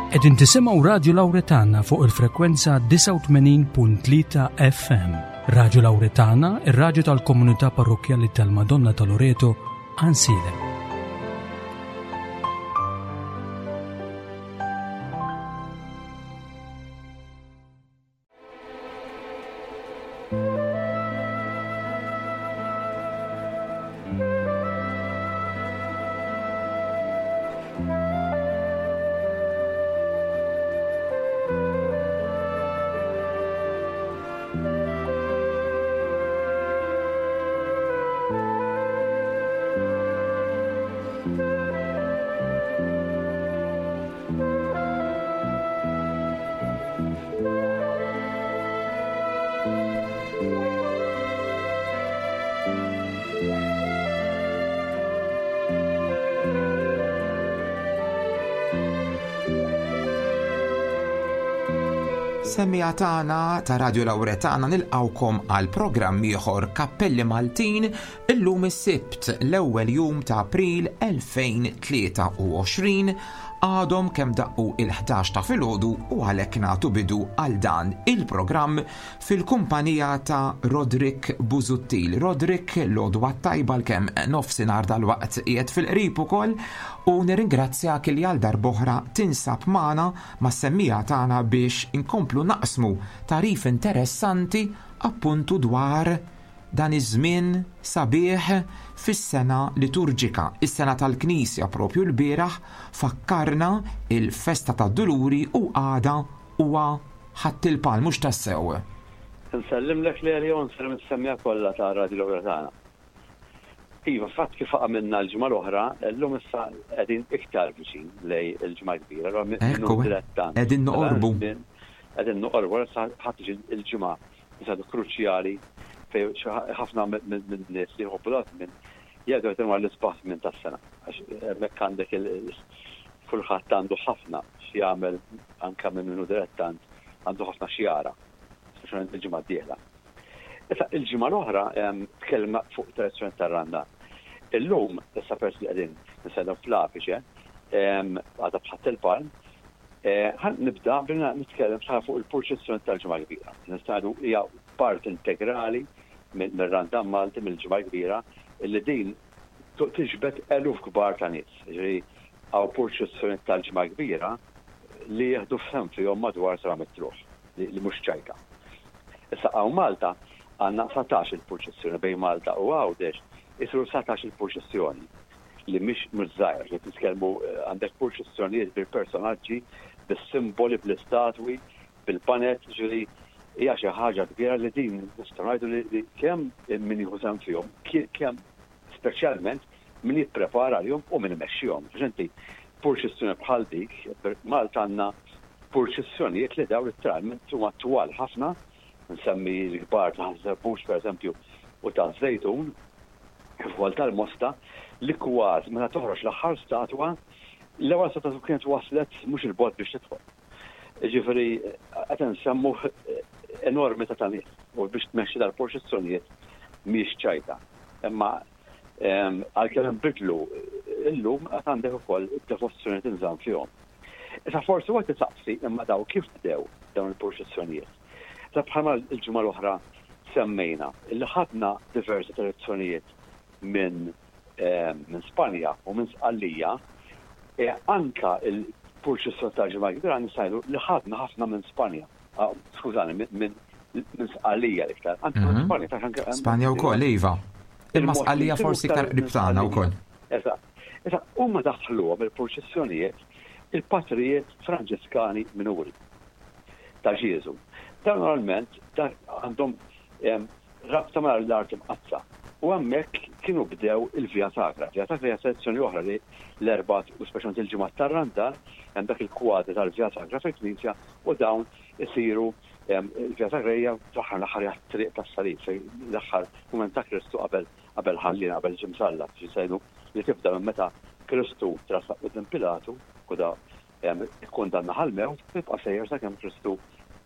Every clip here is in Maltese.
Qegħdin tisimgħu Radju Lawretana fuq il-frekwenza 89.3 FM. Radju Lawretana, ir-radju tal-komunità parrokkjali tal-Madonna ta' Loreto, Ansilem. Semmiegħa tagħna ta' Radio Lawretana nilqgħukom għal programm ieħor Kappelli Maltin illum is-Sibt l-ewwel jum ta' April 2023 għadhom kemm daqqu il-11 ta' filgħodu u għalhekk nagħtu bidu għal dan il-programm fil-kumpanija ta' Roderick Busuttil. Roderick, l-għodwa t-tajba l-kemm nofsinhar dalwaqt qiegħed fil-qrib ukoll u nirringrazzjak li għal darb'oħra tinsab magħna mas-semmiegħa tagħna biex inkomplu naqsmu tagħrif interessanti appuntu dwar dan iż-żmien sabiħ fis-sena liturġika, is-sena tal-Knisja propju lbieraħ fakkarna il-festa tad-Duluri u għada huwa Ħadd il-Palm mhux tassew. Insellimlek Lelio u nsellem is-semmiegħa kollha ta' Radio Lowra tagħna. Iva, fatt kif għamilna l-ġimgħa l-oħra, llum issa qegħdin iktar viċin lejn il-Ġimgħa l-Kbira, allura minn Ekku, dilettant qegħdin noqorbu. Qegħdin noqorbu, allura issa ħa tiġi l-ġimgħa Saru kruċjali fejn ħafna min-nies li jħobbu dan iż-żmien jgħidu qed huwa l-isbaħ żmien tas-sena. Għax hemmhekk għandek kulħadd għandu ħafna x'jagħmel anke minn min hu dilettant għandu ħafna x'jara, speċjalment il-ġimgħa d-dieħla. Issa il-ġimgħa l-oħra tkellimna fuq tradizzjoni tar-Randan. Illum, issa peress li qegħdin nistennew fl-apiċe, għadha b'Ħadd il-Palm, Ħa nibda billi nitkellem xi ħaġa fuq il-purċissjoni tal-Ġimgħa l-Kbira. Nistgħu ngħidu hija parti integrali mir-Randan Malti, mill-Ġimgħa l-Kbira, illi din tiġbed eluf kbar ta' nies. Jiġifieri hawn purċissjonijiet tal-Ġimgħa l-Kbira li jieħdu sehem fihom madwar 700 ruħ, li mhux ċajta. Issa hawn Malta għandna 19 il-purċissjoni bejn Malta u Għawdex isiru 19 il-purċissjoni. li mhix mhux żgħira, qed nitkellmu għandek purċissjonijiet bil-personaġġi, bis-simboli, bl-istatwi, bil-baned, ġifieri hija xi ħaġa kbira li din nistgħu ngħidu li kemm min jieħu sehem fihom, kemm speċjalment min jipprepara għalihom u min imexxihom. Għax inti purċissjoni bħal dik, Malta għandna purċissjonijiet li daw litteralment huma twal ħafna, nsemmi l-kbar ta' Ħaż-Żebbuġ pereżempju u taż-Żejtun, kif ukoll tal-Mosta, li kważi meta toħroġ l-aħħar statwa, l-ewwel statwa tkun kienet waslet mhux 'il bogħod biex tidħol. Jiġifieri qed insemmu enormità ta' nies u biex tmexxi dal-purċissjonijiet mhijiex ċajta. Imma għalkemm inbidlu illum għad għandek ukoll id-devozzjoni tinżamm fihom. Issa forsi wieħed isaqsi imma daw kif bdew dawn il-purċissjonijiet? Issa bħalma l-ġimgħa l-oħra semmejna li ħadna diversi tradizzjonijiet minn minn Spanja u minn Sqallija, e anka il-purċissjoni tal-Ġimgħa l-Kbira nistgħu ngħidu li ħadna ħafna minn Spanja. Ah, skużani, minn Sqallija l-iktar. Anke minn mhm. Spanja, ta' anke Spanja wkoll, iva. Imma Sqallija forsi iktar qrib tagħna wkoll. Eżatt. Issa huma daħħluhom il-purċissjonijiet il-patrijiet Franġiskani minuri. ta' Ġieżu. Dawn normalment għandhom rabta ma' l-Art Imqaddsa u hemmhekk kienu bdew il-Via Sacra. Via Sacra hija tradizzjoni oħra li l-Erbgħat u speċjalment il-Ġimgħat tar-Randan hemm dak il-kwadri tal-Via Sacra fil-knisja u dawn isiru il-Via Sacra hija fl-aħħar mill-aħħar hija t-triq tas-salib fejn l-aħħar mument ta' Kristu qabel qabel ħalliena qabel ġie msallab, xi ngħidu li tibda minn meta Kristu tressaq quddiem Pilatu u da Ikkundannah għall-mewt u jibqa' sejjer sakemm Kristu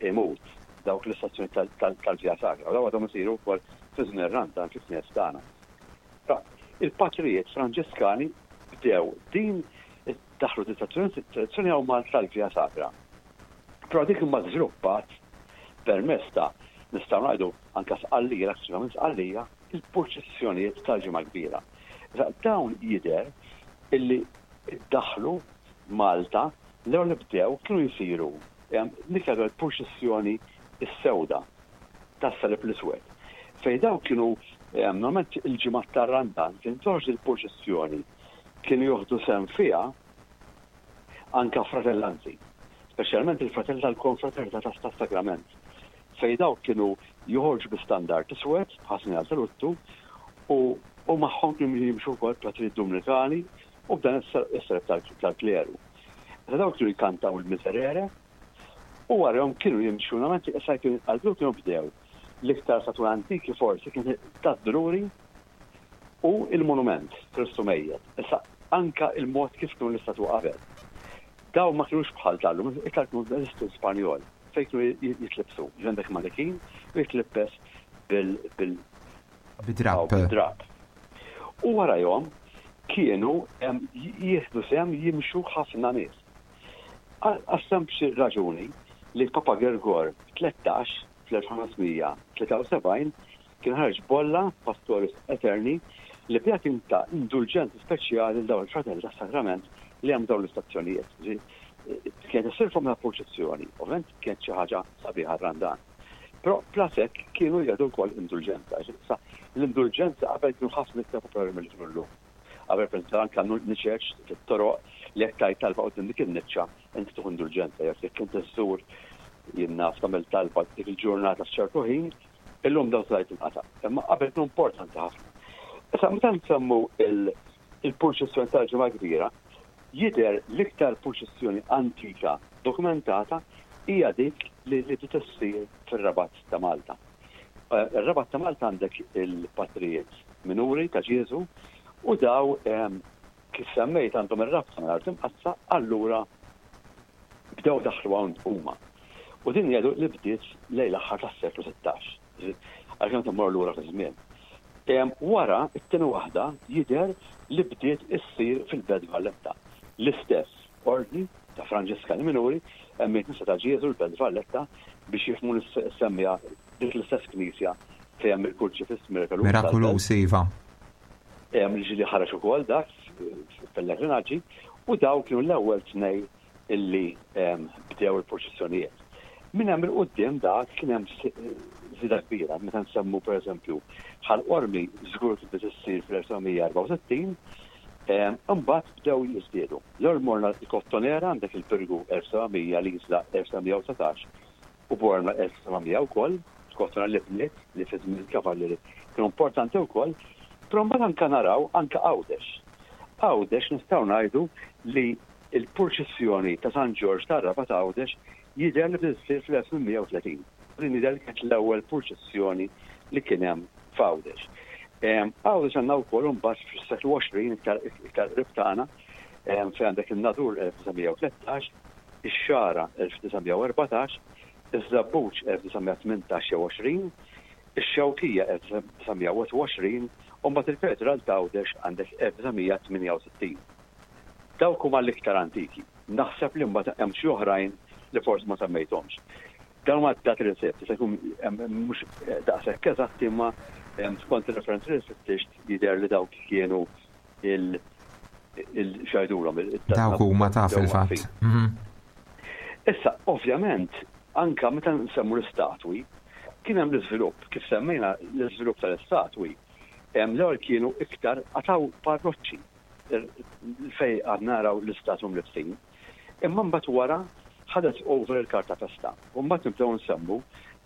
jmut. Dawk l-istazzjonijiet tal-Via Sacra. U dawn għadhom isiru wkoll fi żmien ir-Randan fil-knejjes tagħna. Il-patrijiet Franġiskani bdew din. Daħlu din tradizzjoni hawn Malta tal-Via Sacra. Però dik imma żviluppat permezz ta' nistgħu ngħidu anke Sqallija, l-aktar minn Sqallija, il-purċissjonijiet tal-Ġimgħa Kbira. Issa dawn jidher illi ddaħħlu Malta l-ewwel li bdew kienu jsiru dik l-purċissjoni s-sewda tas-Salib l-Iswed fejn dawn kienu normalment il-ġimgħat tar-Randan kien toħroġ il-purċissjoni kienu joħdu sehem fiha anke fratellanzi, speċjalment il-fratelli tal-Konfraternità tas-Sagrament, fejn dawk kienu joħorġu bi standard iswed bħal sinjal ta' luttu u u magħhom kienu jimxu wkoll fratrijiet Dumnikani u b'dan is-salib tal-kleru. Meta dawk kienu jkantaw il-Miserere u warahom kienu jimxu normalment issa kienu jinqalbu kienu bdew l-iktar statwi antiki forsi kien tad-Duluri u il-monument Kristu mejjet. Issa anka il-mod kif kienu l-istatwa qabel. Dawn ma kinux bħal tal-lum, iktar kienu l-istil Spanjol fejn kienu jitlibsu. Għandek manekin u jitlibbes bil Bid-drapp. Bid-drapp. U warajhom kienu jieħdu sehem jimxu ħafna nies. Għas-sempliċi raġuni li Papa Girgor 13 fl-1573 kien ħareġ bolla Pastoris Aeterni li biha kien ta indulġenza speċjali lil dawn il-fratelli tas-Sagrament li għamlu dawn l-istazzjonijiet. Kienet issir forma ta' purċissjoni, ovvjament kienet xi ħaġa sabiħa r-Randan. Però plus hekk kienu jagħtu wkoll indulġenza. Issa l-indulġenza qabel kienu ħafna iktar popolari milli kienu llum. Qabel pereżempju anke niċeċ fit-toroq li jekk tgħid talba quddiem dik in-niċċa inti tieħu indulġenza jekk jekk inti żżur jien naf tagħmel talba dik il-ġurnata f'ċertu ħin, illum dawn tgħid tinqata'. Imma qabel kienu importanti ħafna. Issa meta nsemmu il-purċissjoni tal-Ġimgħa Kbira, jidher l-iktar purċissjoni antika dokumentata hija dik li bdiet issir fir-Rabat ta' Malta. Ir-Rabat ta' Malta għandek il-patrijiet minuri ta' Ġieżu u daw kif semmejt għandhom ir-rabta mal-Art Imqaddsa, allura bdew daħlu hawn huma. U din jgħidu li bdiet lejn l-aħħar tas-seklu 16. Għalkemm tmur lura fiż-żmien. Wara, it-tieni waħda jidher li bdiet issir fil-Belt Valletta. L-istess ordni ta' Franġiskani Minuri hemm il-Knisja ta' Ġieżu l-Belt Valletta biex jifhmu nsemmija dik l-istess knisja fejn hemm il-Kurċifiss Mirakoluż. Mirakoluż, iva. Hemm li ġieli ħareġ ukoll dak f'pellegrinaġġi u dawn kienu l-ewwel tnej illi bdew il-purċissjonijiet. Minn hemm 'il quddiem dak kien hemm żieda kbira, meta nsemmu pereżempju Ħal Qormi żgur kien bdiet issir fl-1964, imbagħad bdew jiżdiedu. L-ewwel morna l-Kottonera għandek il-Birgu 1700, l-Isla 1719 u Bormla 1700 wkoll, Kottonera li bniet li fi żmien il-Kavallieri kienu importanti wkoll, però mbagħad anke naraw anke Għawdex. Għawdex nistgħu ngħidu li Il-purċissjoni ta' San Ġorġ tar-Rabat Għawdex jidher li bdiet issir fl-1830. Din jidher li kienet l-ewwel purċissjoni li kien hemm f'Għawdex. Għawdex għandna wkoll imbagħad fis-seklu 20 iktar iktar qrib tagħna fejn għandek in-Nadur 1913, ix-Xagħra 1914, iż-Żebbuġ 1918 jew 20, ix-Xewkija 1921 u mbagħad il-Katedral t'Għawdex għandek 1968. Dawk huma l-iktar antiki. Naħseb li mbagħad hemm xi oħrajn li forsi ma semmejthomx. Dawn huma d-dati li sibt, jista' jkun mhux daqshekk eżatti imma skont ir-referenzi li fittixt jidher li dawk kienu il x'jgħidulhom Dawk huma ta' fil-fatt. Mhm. Issa, ovvjament, anka meta nsemmu l-istatwi, kien hemm l-iżvilupp, kif semmejna l-iżvilupp tal-istatwi, l-ewwel kienu iktar qatgħu parroċċi. fejn għad naraw l-istatwi mlibbsin. Imma mbagħad wara ħadet over il-karta festa. U mbagħad nibdew nsemmu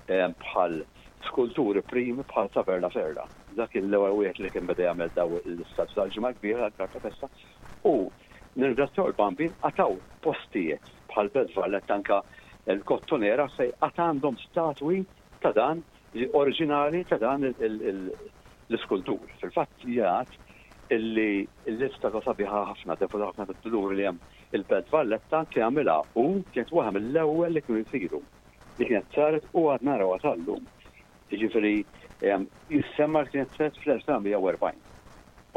bħal skulturi primi bħal Saver Laferla. Dak kien l-ewwel wieħed li kien beda jagħmel daw l-istatwi tal-Ġimgħa l-Kbira tal-karta festa. U nirringrazzjaw il-Bambin qatgħu postijiet bħal Belt Valletta anke l-Kottonera fejn għad għandhom statwi ta' dan oriġinali ta' dan l-iskultur. Fil-fatt jgħad illi l-istatwa sabiħa ħafna, devota ħafna tad-duluri li hemm il-Belt Valletta kien għamilha u kienet waħda mill-ewwel li kienu jsiru li kienet saret u għad narawha sal-lum. Jiġifieri jissemma li kienet saret fl-1940.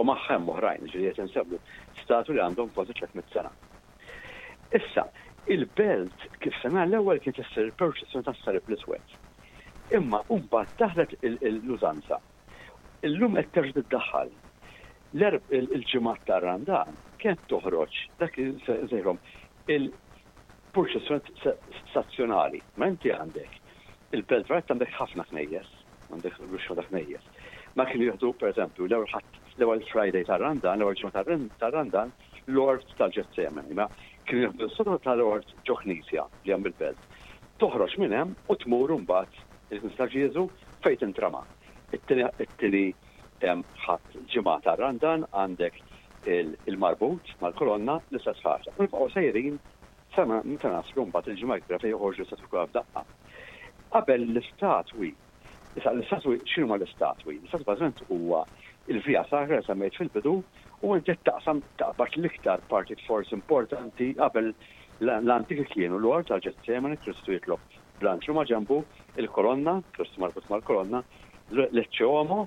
U magħha hemm oħrajn, ġifieri qed insemmu statwi li għandhom kważi 300 sena. Issa, il-belt kif sena l-ewwel kienet issir il-purċissjoni tas-Salib l-Iswed. Imma mbagħad daħlet l-użanza. Illum qed terġa' tiddaħħal. Il-ġimgħat tar-Randan kienet toħroġ dak li nsejħilhom il-purċissjoni stazzjonali. Ma inti għandek il-Belt Valletta għandek ħafna knejjes, għandek ruxxma ta' knejjes. Ma kienu jieħdu pereżempju l-ewwel Ħadd, l-ewwel Friday tar-Randan, l-ewwel ġimgħa tar-Randan, l-ort tal-Ġetsemani. Ma kienu jieħdu s-sodda tal-ort ġo knisja li hemm il-belt. Toħroġ minn hemm u tmur imbagħad il-Knisja ta' Ġieżu fejn tintrama. It-tieni Ħadd ġimgħa tar-Randan għandek il-marbut mal-kolonna l-istess ħaġa. U nibqgħu sejrin sa meta naslu mbagħad il-Ġimgħa l-Kbira fejn joħorġu l-istatwi kollha f'daqqa. Qabel l-istatwi, issa l-istatwi x'inhuma l-istatwi? L-istatwi bażikament huwa l-Via Sacra li semmejt fil-bidu u inti qed taqsam taqbad l-iktar partit forsi importanti qabel l-antiki kienu l-Ort tal-Ġetsemani, Kristu jitlob bl-anġlu ma' ġenbu, il-kolonna, Kristu marbut mal-kolonna, l-Ecce Homo,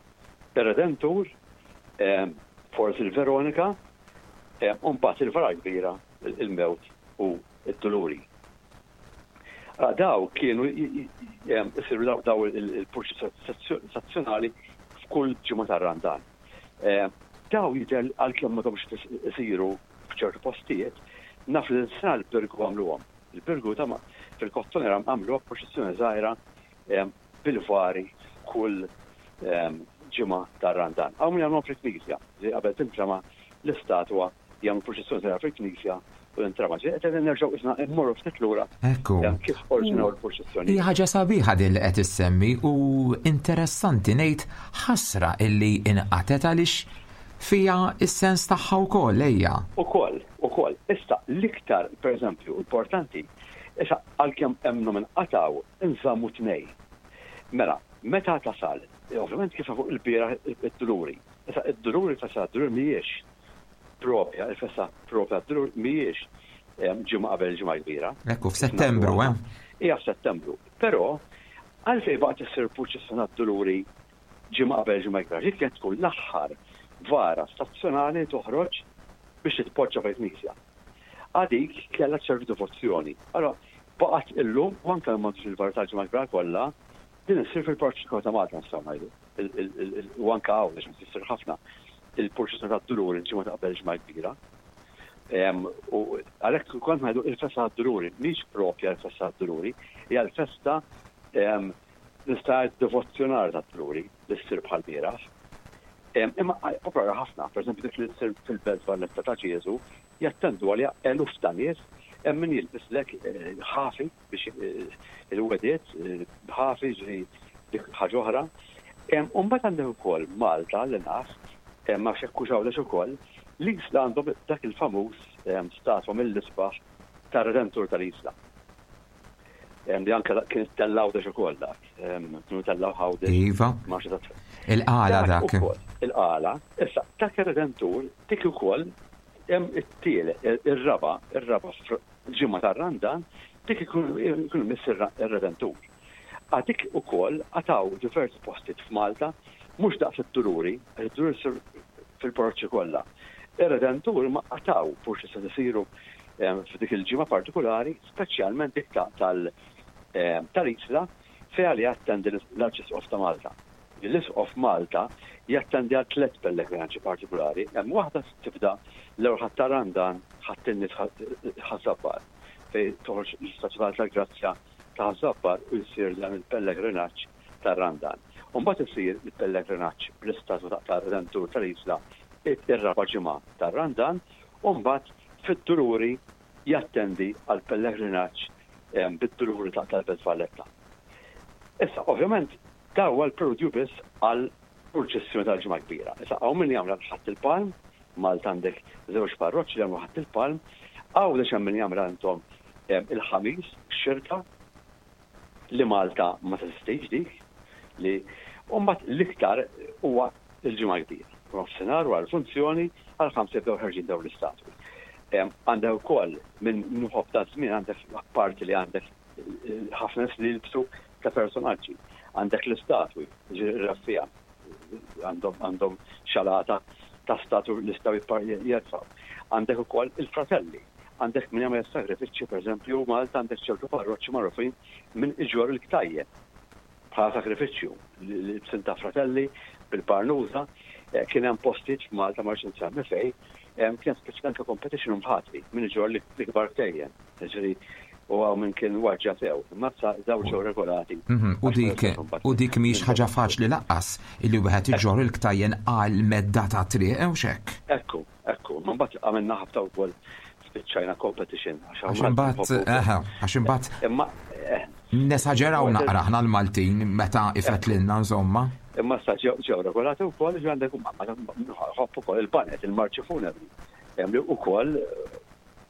ir-Redentur, forsi l-Veronika, u mbagħad il-vara l-kbira, il-mewt u d-duluri. Ara daw kienu jsiru daw il-purċissjoni stazzjonali f'kull ġimgħa tar-Randan. Daw jidher għalkemm m'għadhomx isiru f'ċertu postijiet, naf li l-sena l-Birgu għamluhom. Il-Birgu ta' fil-Kottonera għamluha purċissjoni żgħira bil-vari kull ġimgħa tar-Randan. Hawn min jagħmluhom fil-knisja, qabel tintrama l-istatwa jagħmlu purċissjoni żgħira fil-knisja u tintrama. Ġifieri qed nerġgħu isna mmorru ftit lura Ekku. kif oriġinaw il-purċissjoni. Hija ħaġa sabiħa din li qed issemmi u interessanti ngħid ħasra illi inqatgħet għaliex fiha s-sens tagħha wkoll ejja. Ukoll, ukoll. Issa l-iktar, pereżempju, importanti, issa għalkemm emmnu minn qatgħu inżammu tnej. Mela, meta tasal, ovvjament kif fuq il-bieraħ id-duluri. Issa id-duluri festa d-duluri mhijiex propja, il-festa propja d-dulur mhijiex ġimgħa qabel il-Ġimgħa l-Kbira. Ekku, f'Settembru, eh? Hija f'Settembru. Però għalfejn baqgħet issir purċissjoni tad-duluri ġimgħa qabel il-Ġimgħa l-Kbira? Dik kienet tkun l-aħħar vara stazzjonali toħroġ biex titpoġġa fil-knisja. Għadik kellha ċertu devozzjoni. Allora baqgħet illum u anke m'għandux il-vara tal-Ġimgħa l-Kbira kollha, din issir fil-Parroċċa ta' Malta nistgħu ngħidu. U anke Għawdex issir ħafna il-purċissjoni tad-Duluri l-ġimgħa ta' qabel il-Ġimgħa l-Kbira. U għalhekk kont ngħidu il-festa tad-Duluri mhix propja l-festa tad-Duluri, hija l-festa nista' ngħid devozzjonali tad-Duluri li ssir bħal bieraħ. Imma popolari ħafna, pereżempju dik li ssir fil-Belt Valletta ta' Ġieżu, jattendu għaliha eluf ta' nies, hemm min jilbislek eh, ħafi biex eh, il-wediet eh, ħafi ġri dik ħaġa oħra. U mbagħad għandek ukoll Malta li naf, ma nafx hekk hux Għawdex ukoll, l-Isla għandhom dak il-famuż statwa mill-isbaħ tar-Redentur tal-Isla. Li anke kien ittella' Għawdex ukoll dak. Kienu tellgħu Għawdex. Iva. Il-qala dak. Il-qala. Issa, dak ir-Redentur dik ukoll hemm it-tielet, ir-raba', ir-raba' ġimgħa tar-Randan, dik ikun imiss ir-Redentur. Għadik ukoll għataw diversi postijiet f'Malta, mhux daqs id-Duluri, għax id-Duluri ssir fil-parroċċi kollha. Ir-Redentur ma qataw forsi se isiru f'dik il-ġimgħa partikulari, speċjalment dik tal-Isla fejn għaliha attendi l-Arċisqof ta' Malta. L-Isqof Malta jattendi għal tlett pellegrinaġġi partikulari. Hemm waħda tibda l-ewwel Ħadd ta' Randan, Ħadd in-Nies Ħaż-Żabbar, fejn toħroġ l-Istatwa tal-Grazzja ta' Ħaż-Żabbar u jsir dan il-pellegrinaġġ tar-Randan. U mbagħad isir il-pellegrinaġġ bl-istatwa tar-Redentur tal-Isla ir-raba' ġimgħa tar-Randan u mbagħad fid-Duluri jattendi għall-pellegrinaġġ bid-Duluri tal-Belt Valletta. Issa, ovvjament, dan huwa l-preludju biss għall-purċissjoni tal-Ġimgħa l-Kbira. Issa, hawn min jagħmilha l-Ħadd il-Palm, Malta għandek żewġ parroċċi li jagħmlu Ħadd il-Palm, Għawdex hemm min jagħmilha intom il-Ħamis, x-Xirka, li Malta ma teżistix dik, li u mbagħad l-iktar huwa l-Ġimgħa l-Kbira. Nofsinhar wara l-funzjoni għall-ħamsa jibdew ħerġin dawn l-istatwi. Għandek ukoll minn nħobb ta' żmien għandek apparti li għandek ħafna nies li jilbsu ta' personaġġi. Għandek l-istatwi, ġifieri raffija, għandhom xalata. ta' statu li jistgħu jerfgħu. Għandek ukoll il-fratelli. Għandek min jagħmel sagrifiċċji, pereżempju, Malta għandek ċertu parroċċi magħrufin min iġorr il-ktajjen bħala sagrifiċċju, l-ibsin ta' fratelli bil-barnuża. Kien hemm postijiet f'Malta, ma rridx insemmi fejn, kien speċi anke competition u mħatri min iġorr l-ikbar ktejjen. Jiġifieri u hawn min kien waġġa sew. Imma issa dawn ġew regolati. U dik u dik mhix ħaġa faċli lanqas illi wieħed iġorr il-ktajjen għal medda ta' triq, hux hekk? Ekku, ekku. Ma mbagħad għamilna ħabta wkoll spiċċajna competition. Għax imbagħad, eħe, għax imbagħad Imma eh. nesaġeraw naqra aħna l-Maltin meta ifetlilna insomma. Imma issa ġew regolati wkoll ġi għandek ħobb ukoll il-banet, il-marċi funebri. Hemm li wkoll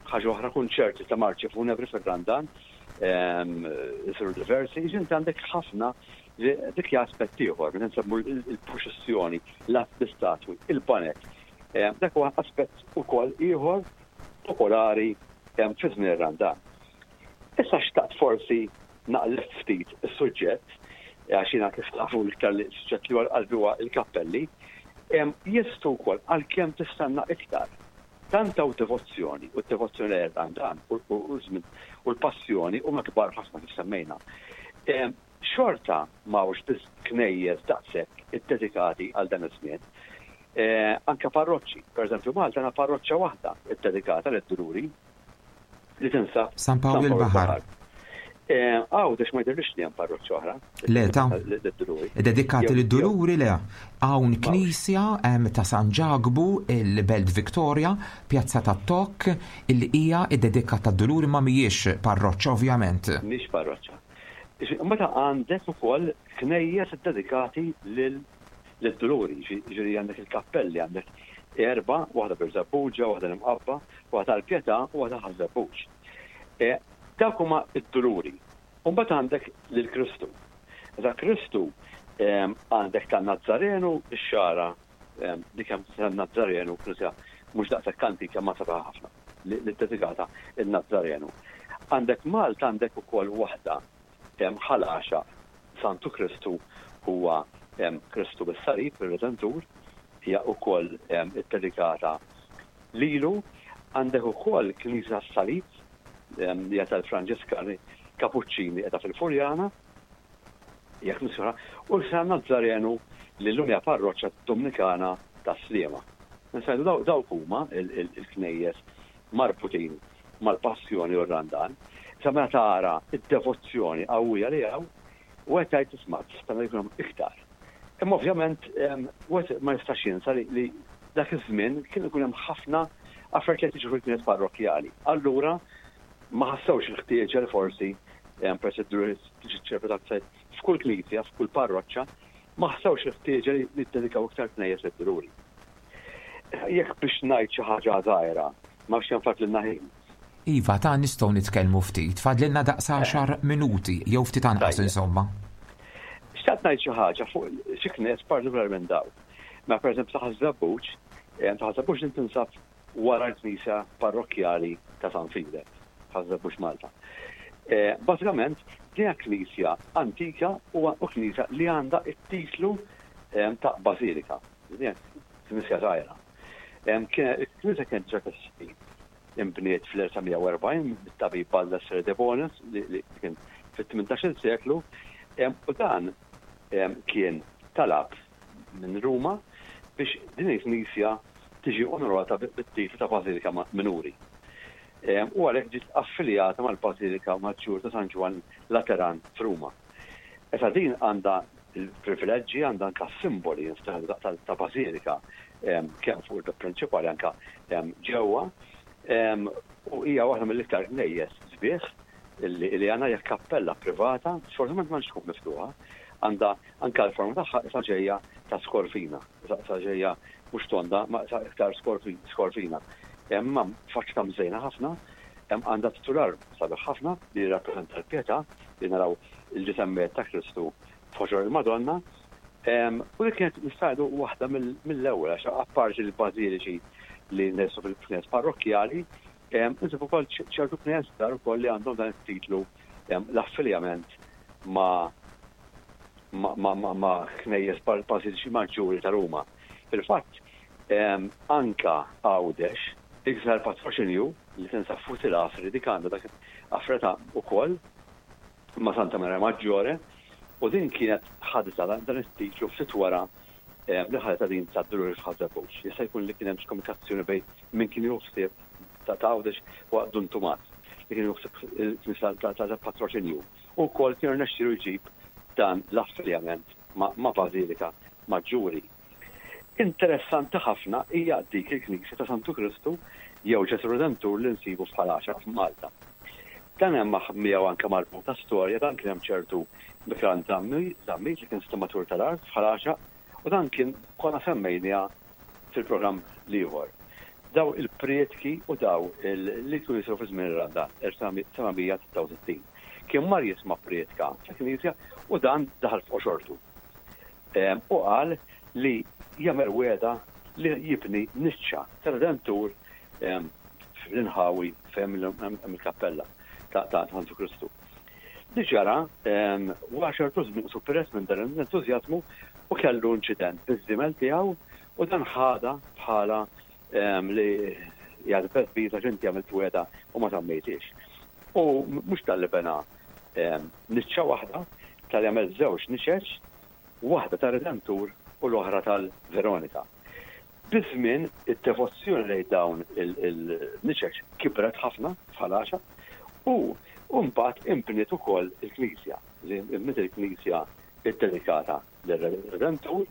Ħaġa oħra kunċerti ta' marċi funebri fir-Randan isiru diversi, jiġifieri inti għandek ħafna dik hija aspett ieħor, meta nsemmu l-proċessjoni, l-att bi-statwi, il-baned. Dak huwa aspett ukoll ieħor popolari fi żmien ir-Randan. Issa xtaqt forsi naqleb ftit is-suġġett, għax jiena kif tafu l-iktar li suġġett li huwa qalbi huwa l-kappelli, jeżistu wkoll għalkemm tistenna iktar. Tant hawn devozzjoni, u d-devozzjoni lejn ir-Randan u u l-passjoni huma kbar ħafna kif semmejna. Xorta m'hawnx biss knejjes daqshekk iddedikati għal dan iż-żmien. Anke parroċċi. Pereżempju Malta għandna parroċċa waħda ddedikata lid-Duluri. li tinsab San Pawl il-Baħar. Għawdex ma jidhirlix li hemm parroċċa oħra. Le ta' dedikati lid-Duluri le. Hawn knisja ta' San Ġakbu il-Belt Victoria, Pjazza tat-Tokk, illi hija ddedikata d-Duluri ma mhijiex parroċċa ovvjament. Mhix parroċċa. Meta għandek ukoll knejjes iddedikati lil lid-Duluri, jiġifieri għandek il-kappelli, għandek erbgħa, waħda Birżebbuġa, waħda l-Imqabba, waħda tal-Pietà u waħda Ħaż-Żebbuġ. E, dawk huma d-Duluri. U mbagħad għandek lil Kristu. Meta Kristu għandek tan-Nazzarenu, ix-xagħra dik hemm tan-Nazzarenu, knisja mhux daqshekk antika ma sabiħa ħafna li ddedikata in-Nazzarenu. Għandek Malta għandek ukoll waħda Ħal Għaxaq, Santu Kristu huwa Kristu bis-Salib, ir-Redentur, hija wkoll iddedikata lilu. Għandek ukoll Knisja tas-Salib li hija tal-Franġiskani Kapuċċini qiegħda fil-Furjana, hija knisja oħra, u San Nazzarenu li llum hija parroċċa Dominikana tas-Sliema. Nistgħu ngħidu dawk huma l-knejjes marbutin mal-passjoni u r-Randan. Issa meta tara d-devozzjoni qawwija li hawn, wieħed jgħid isma' tista' jkun hemm iktar. Imma ovvjament wieħed ma jistax jinsa li dak iż-żmien kien ikun hemm ħafna affarijiet li qed jiġru fil-knejjes parrokkjali. Allura ma ħassewx il-ħtieġa li forsi peress li d-duluri tiġi ċċelebrata f'kull knisja, f'kull parroċċa, ma ħassewx il-ħtieġa li jiddedikaw iktar knejjes lid-duluri. Jekk biex ngħid xi ħaġa żgħira, ma nafx kemm fadlilna ħin. Iva, ta' nistgħu nitkellmu ftit, fadlilna daqs għaxar minuti, jew ftit anqas insomma. Xtaqt ngħid xi ħaġa fuq xi knejjes partikolari minn dawn. Mela pereżempju ta' Ħaż-Żebbuġ, ta' Ħaż-Żebbuġ din tinsab wara l-knisja parrokkjali ta' San Filep, Ħaż-Żebbuġ Malta. Bażikament din hija knisja antika u knisja li għandha t-titlu ta' bażilika. Knisja żgħira. Il-knisja kienet diġà teżisti, inbniet fl-1940 mit-tabib Baldassare de Bonis li kien fit-18-il seklu u dan kien talab minn Ruma biex din il-knisja tiġi onorata bit-titlu ta' Bażilika Minuri. U għalhekk ġiet affiljata mal-Bażilika Maġġur ta' San Ġwann Lateran f'Ruma. Issa din għandha l-privileġġi, għandha anke s-simboli ta' bażilika kemm fuq il-bieb prinċipali anke ġewwa. U hija waħda mill-iktar knejjes sbieħ li għandna hija kappella privata, sfortunatament m'għandx tkun miftuħa. Għandha anke l-forma tagħha issa ġejja ta' skorfina, issa ġejja mhux tonda, ma issa iktar skorfina. Imma faċċata mżejna ħafna, għandha titular sabiħ ħafna li jirrappreżenta l-pjetà li naraw il-ġisem mejjet ta' Kristu f'ħoġor il-Madonna. U dik kienet nista' ngħidu waħda mill-ewwel għax apparti l-bażiliċi li nqisu fil-knejjes parrokkjali, insibu wkoll ċertu knejjes żgħar ukoll li għandhom dan it-titlu l-affiljament ma' ma' knejjes bażiliċi maġġuri ta' Ruma. Fil-fatt, Anka Għawdex, il-Knisja tal-Patroċinju li tinsab fuq il-Għasri dik għandha dak affreta wkoll ma' Santa Maria Maggiore u din kienet ħaditha dan it-titlu ftit wara li ħaditha din tad-Duluri f'Ħaż-Żebbuġ. Jista' jkun li kien hemm xi komunikazzjoni bejn min kien jieħu ħsieb ta' Għawdex huwa Dun Tumas li kien jieħu ħsieb il-Knisja tal-Patroċinju u wkoll kien irnexxielu jġib dan l-affiljament ma' Bażilika Maġġuri. Interessanti ħafna hija dik il-knisja ta' Santu Kristu jew Ġesù Redentur li nsibu f'Ħal Għaxaq f'Malta. Dan hemm miegħu anke marbuta storja, dan kien hemm ċertu Mikran Zammit li kien stimatur tal-art f'Ħal Għaxaq u dan kien konna semmejniha fil-programm l-ieħor. Daw il-prietki u daw li kienu jsiru fi żmien ir-Randan, 1766. Kien mar jisma' prietka fil-knisja u dan daħal f'qoxortu. U qal li jagħmel wegħda li jibni niċċa ta' Redentur fl-inħawi fejn hemm il-kappella ta' Santu Kristu. Li ġara, wara ċertu żmien qisu peress minn dan l-entużjażmu u kellu inċident biż-żiemel tiegħu u dan ħadha bħala li jgħid beżbiż għax inti għamilt wegħda u ma żammejthiex. U mhux talli bena niċċa waħda, talli għamel żewġ niċeċ, waħda tar-Redentur u l-oħra tal-Veronika. Biż-żmien, id-devozzjoni lejn dawn il-niċeċ kibret ħafna f'Ħal Għaxaq u mbagħad inbniet ukoll il-knisja, li inbniet il-knisja ddedikata lir-Redentur.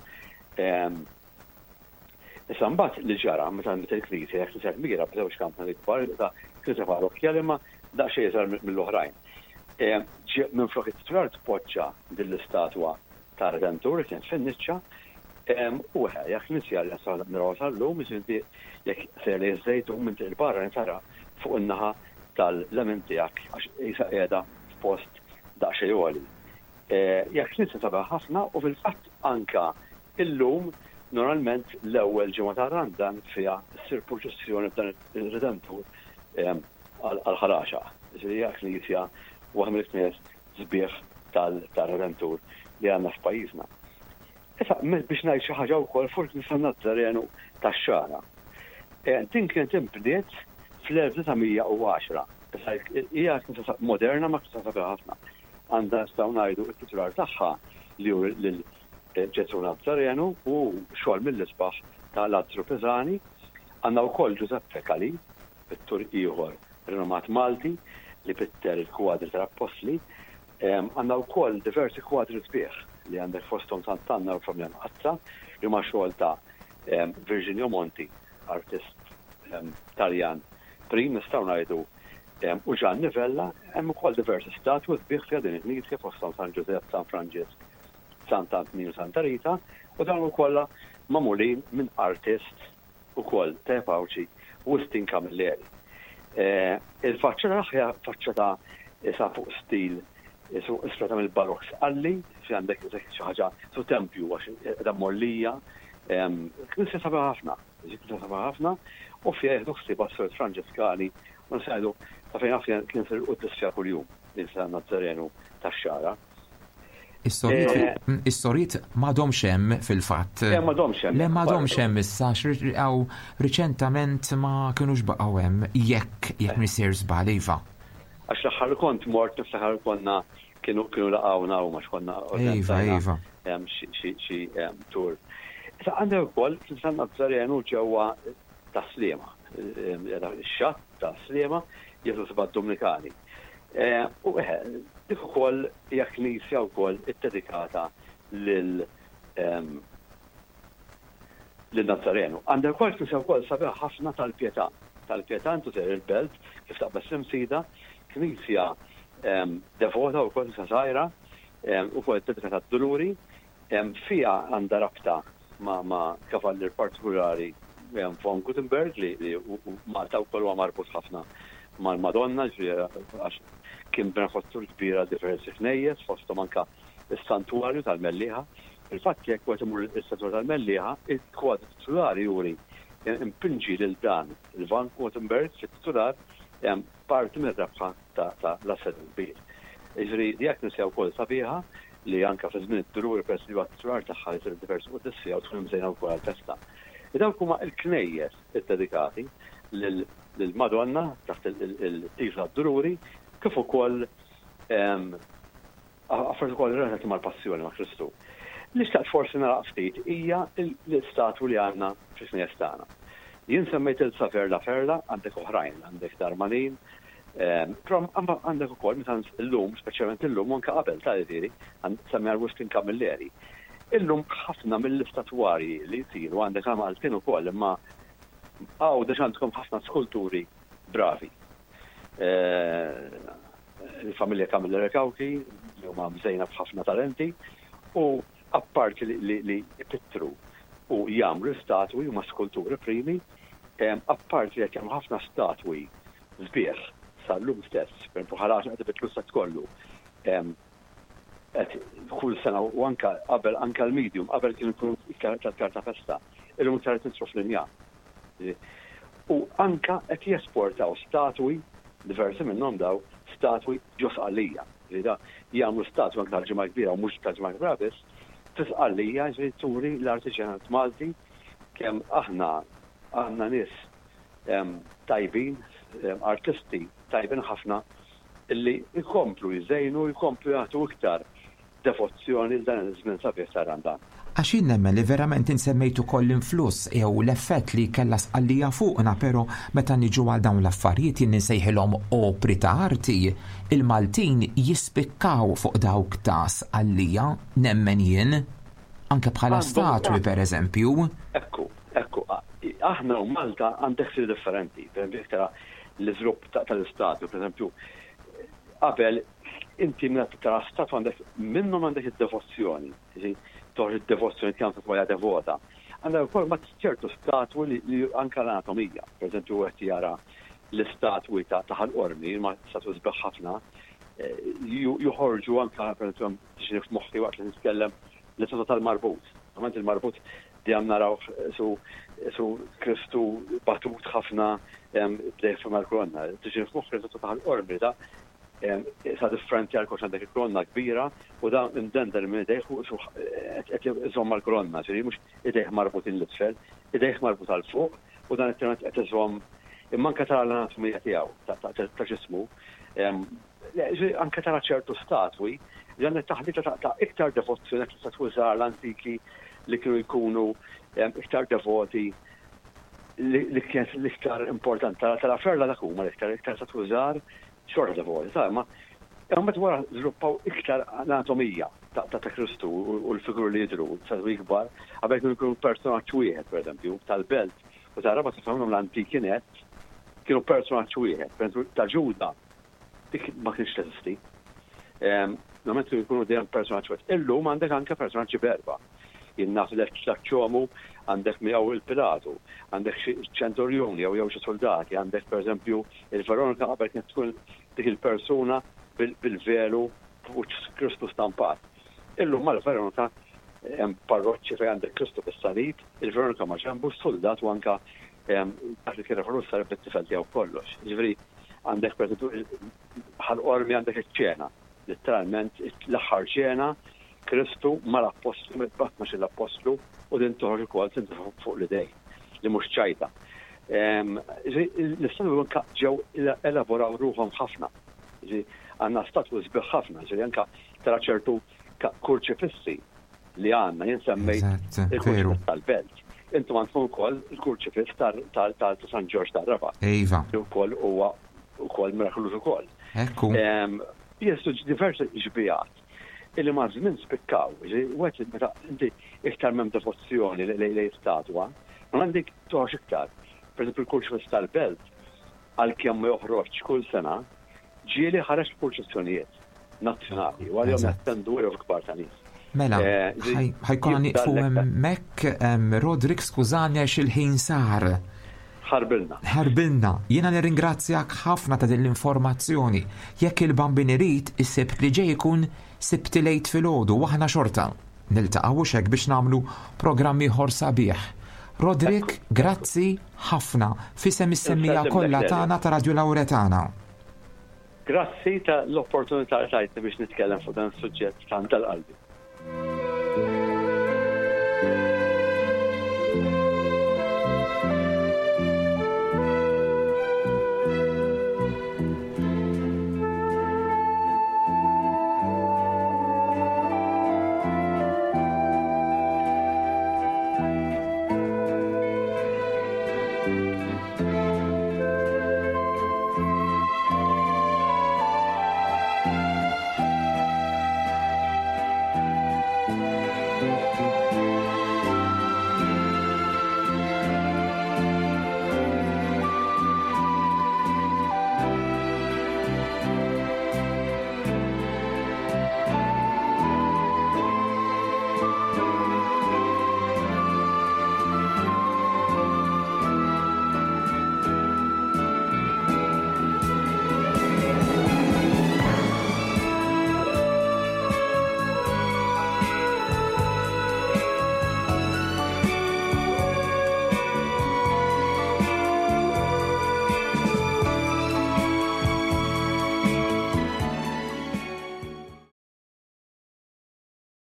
Issa mbagħad li ġara meta nbniet il-knisja, hija knisja kbira b'żewġ kampnari kbar, knisja parrokkjali imma daqsxejn iżgħar mill-oħrajn. Minflok it-titular tpoġġa din l-istatwa tar-Redentur li kienet fin-niċċa, u eħe, hija knisja li nistgħu narawha sal-lum, jiġifieri inti jekk sejjer lejn iż-Żejtun minn Triq il-Barra tara fuq in-naħa tal-lemin tiegħek għax qisha qiegħda f'post daqsxejn għoli. Hija knisja sabiħa ħafna u fil-fatt anke illum normalment l-ewwel ġimgħa tar-Randan fiha ssir purċissjoni b'dan ir-Redentur għal Ħal Għaxaq. Jiġifieri hija knisja waħda mill-knejjes sbieħ tar-Redentur li għandna f'pajjiżna. Issa, biex ngħid xi ħaġa wkoll fuq il-Knisja Nazzarenu tax-Xagħra. Din kienet inbniet fl-1910. Issa hija knisja moderna ma knisja sabiħa ħafna. Għandha nistgħu ngħidu t-titular tagħha li hu lil Ġesù Nazzarenu u xogħol mill-isbaħ ta' Lazzru Pisani. Għandna wkoll Giuseppe Calì, pittur ieħor rinomat Malti li pitter il-kwadri tal-Appostli. Għandna wkoll diversi kwadri sbieħ li għandek fosthom Sant'Anna u l-Familja Mqaddsa li huma xogħol ta' Virginio Monti, artist Taljan prim nistgħu ngħidu u Gianni Vella. Hemm ukoll diversi statwi sbieħ fiha din il-knisja fosthom San Ġużepp, San Franġisk, Sant'Antnin u Santa Rita u dawn kollha magħmulin minn artist ukoll Tep Għawdxi, Wistin Camilleri. Il-faċċata tagħha hija faċċata isa fuq stil isu ispirata mill-Barokk Sqalli, fi għandek isek xi ħaġa su tempju għax qiegħda mgħollija. Knisja sabiħa ħafna, knisja sabiħa ħafna u fiha jieħdu ħsiebha s-Sorijiet Franġiskani u nistgħu ngħidu sa fejn naf jien kien isir il-quddies fiha kuljum din San Nazzarenu tax-Xagħra. Is-sorijiet m'għadhomx hemm fil-fatt. Le m'għadhomx hemm. Le m'għadhomx hemm issa għax riċentament ma kinux baqgħu hemm jekk jekk m'iniex sejjer żball iva. Għax l-aħħar li kont mort niftakar konna kienu kienu laqgħuna huma x'konna organizzajna xi tour. Issa għandek ukoll San Nazzarenu ġewwa Tas-Sliema, ix-xatt Tas-Sliema, jieħdu ħsiebha d-Dumnikani. U eħe, dik ukoll hija knisja wkoll iddedikata lil lil Nazzarenu. Għandek ukoll knisja wkoll sabiħa ħafna tal-Pietà. Tal-Pietà intu sejjer il-Belt kif taqbeż l-Imsida, knisja devota wkoll knisja żgħira, ukoll iddedikata għad-Duluri, Fiha għandha rabta ma' kavallier partikulari von Gutenberg li Malta wkoll huwa marbut ħafna mal-Madonna, ġifieri għax kien benefattur kbir għal diversi knejjes fosthom anke s-Santwarju tal-Mellieħa. Fil-fatt jekk wieħed imur is-Santwarju tal-Mellieħa, il-kwadru titulari juri mpinġi lil dan il-Van Gutenberg fit-titular parti mir-rebħa ta' l-Assedju l-Kbir. Jiġifieri hija knisja wkoll sabiħa li anke fi żmien id-Duluri peress li huwa t-titular tagħha jsir diversi quddies fiha u tkun imżejna wkoll għall-festa. Dawk huma l-knejjes iddedikati lill-Madonna taħt il-titlu tad-Duluri kif ukoll affarijiet ukoll relatati mal-Passjoni ma' Kristu. Li xtaqt forsi nagħlaq ftit hija l-istatwi li għandna fil-knejjes tagħna. Jien semmejt il Saver La Ferla, għandek oħrajn, għandek Darmanin, però għandek ukoll meta llum, speċjalment illum u anke qabel ta' jiġifieri, semmi għal Wistin Camilleri. Illum ħafna mill-istatwarji li jsiru għandek għal Maltin ukoll imma Għawdex għandkom ħafna skulturi bravi. Il-familja Camilleri Cauchi li huma mżejna b'ħafna talenti u apparti li jpittru u jagħmlu statwi huma skulturi primi, apparti li qed jagħmlu ħafna statwi sbieħ sal-lum stess, pereżempju Ħal Għaxaq qed ibiddlu s-sett kollu. Qed kull sena u anke qabel anke l-medium qabel kienu jkunu iktar tal-karta festa, illum iktar qed nidħlu fl-injam. U anke qed jesportaw statwi, diversi minnhom daw, statwi ġo Sqallija. Ġifieri da jagħmlu statwi anke tal-Ġimgħa l-Kbira u mhux tal-Ġimgħa l-Kbira biss, fi Sqallija ġifieri turi l-artiġjanat Malti kemm aħna għandna nies tajbin, artisti tajbin ħafna li jkomplu jżejnu, jkomplu jagħtu iktar devozzjoni 'l dan iż-żmien sabiħ tar-Randan. Għax jien nemmen li verament int semmejt ukoll l-influss jew l-effett li kellha Sqallija fuqna pero meta niġu għal dawn l-affarijiet jien insejħilhom opri ta' arti, il-Maltin jispikkaw fuq dawk ta' Sqallija, nemmen jien. Anke bħala statwi per eżempju. Ekku, ekku, aħna u Malta għandek stil differenti, per eżempju jekk tara l-iżvilupp tal-istatwi, per eżempju qabel inti meta tara statwa għandek minnhom għandek id-devozzjoni, toħroġ id-devozzjoni kemm statwa devota. Għandek ukoll ma ċertu statwi li anke l-anatomija, per eżempju wieħed jara l-istatwi ta' Ħal Qormi, ma statwi sbieħ ħafna, eh, joħorġu anke per eżempju tiġini f'moħħi waqt li nitkellem l-istatwa tal-marbut. Normalment il-marbut dejjem naraw su su Kristu batut ħafna bdejh fuq mal-kolonna. Tiġini f'moħħi l-istatwa ta' Ħal Qormi da sa differenti għal kollox għandek il-kolonna kbira u da imdendel minn idejh u su qed iżomm mal-kolonna, ġifieri mhux idejh marbutin l-isfel, idejh marbut għal fuq u dan it-tenant qed iżomm imma anke tara l-anatomija tiegħu ta' ġismu. Anke tara ċertu statwi li għandek taħlita ta' iktar devozzjoni għax statwi żgħar l-antiki li kienu jkunu iktar devoti li kienet l-iktar importanti. Tara ferla dak huma l-iktar iktar statwi żgħar xorta devoti, ta' imma imbagħad wara żviluppaw iktar anatomija ta' Kristu u l-figuri li jidhru, statwi ikbar, qabel kienu jkunu personaġġ wieħed pereżempju, tal-belt u tar-Rabat ħafna minnhom l-antiki nett kienu personaġġ wieħed, pereżempju ta' Ġuda dik ma kienx teżisti. Normalment kienu jkunu dejjem personaġġ wieħed. Illum għandek anke personaġġi b'erba'. Jien naf li ċ-ċomu għandek miegħu il-Pilatu, għandek xi ċenturjun jew jew xi soldati, għandek pereżempju il-Veronika qabel kienet tkun dik il-persuna bil-velu b'wiċċ Kristu stampat. Illum mal-Veronika hemm parroċċi fejn għandek Kristu fis-salib, il-Veronika ma' ġenbu, s-suldat u anke dak li kien referu s-salib bit-tifel tiegħu kollox. Jiġifieri għandek pereżempju bħal qormi għandek iċ-ċena, letteralment l-aħħar ċena Kristu mal-appostlu, mitbatna l-appostlu u din toħroġ ukoll tintefa' fuq l-idej li mhux ċajta. L-istatwi anka ġew elaboraw ruħhom ħafna. Għandna statwi sbieħ ħafna, ġifieri anka tara ċertu kurċifissi li għandna, jien semmejt il-kurċifiss tal-belt. Intom għandkom ukoll il-kurċifiss ta' San Ġorġ tar-Rabat. Iva. Li wkoll huwa wkoll mirakoluż ukoll. Ekku. Jeżistu diversi xbijat illi ma' żmien spikkaw. Wieħed meta inti iktar m'hemm devozzjoni lejn statwa, ma għandek toħroġ iktar. Per eżempju, il-kurċifiss tal-belt għalkemm ma joħroġx kull sena, ġieli ħareġ f'purċissjonijiet nazzjonali u għalihom jattendu eluf kbar ta' nies. Mela, eh, ħajkonna nieqfu hemmhekk, Rodrik, skużani għax il-ħin sar. Ħarbilna. Ħarbilna. Jiena nirringrazzjak ħafna ta' din l-informazzjoni. Jekk il-bambin irid, is-sibt li ġej ikun sibt lejt filgħodu u aħna xorta. Niltaqgħu hekk biex nagħmlu programm ieħor sabiħ. Rodrik, grazzi ħafna f'isem is-semmiegħa kollha tagħna ta' Radio Lauretana. Grazzi ta' l-opportunità li tajtni biex nitkellem fuq dan is-suġġett tant għal qalbi.